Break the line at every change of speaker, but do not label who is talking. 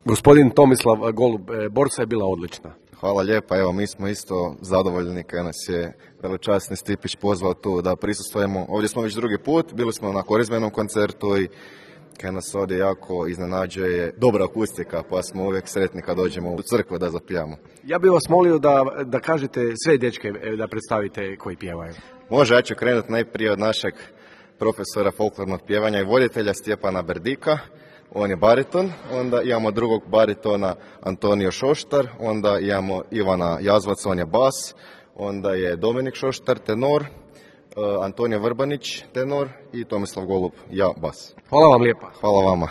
Gospodin Tomislav Golub, borca je bila odlična.
Hvala lijepa, evo mi smo isto zadovoljni kad nas je veličasni Stipić pozvao tu da prisustvujemo. Ovdje smo već drugi put, bili smo na korizmenom koncertu i kad nas ovdje jako iznenađuje dobra akustika, pa smo uvijek sretni kad dođemo u crkvu da zapijamo.
Ja bih vas molio da kažete sve dečke da predstavite koji pjevaju.
Može, ja ću krenuti najprije od našeg profesora folklornog pjevanja i voditelja Stjepana Berdika. On je bariton, onda imamo drugog baritona Antonio Šoštar, onda imamo Ivana Jazvac, on je bas, onda je Dominik Šoštar, tenor, Antonio Vrbanić, tenor i Tomislav Golub, ja bas.
Hvala vam lijepa.
Hvala vama.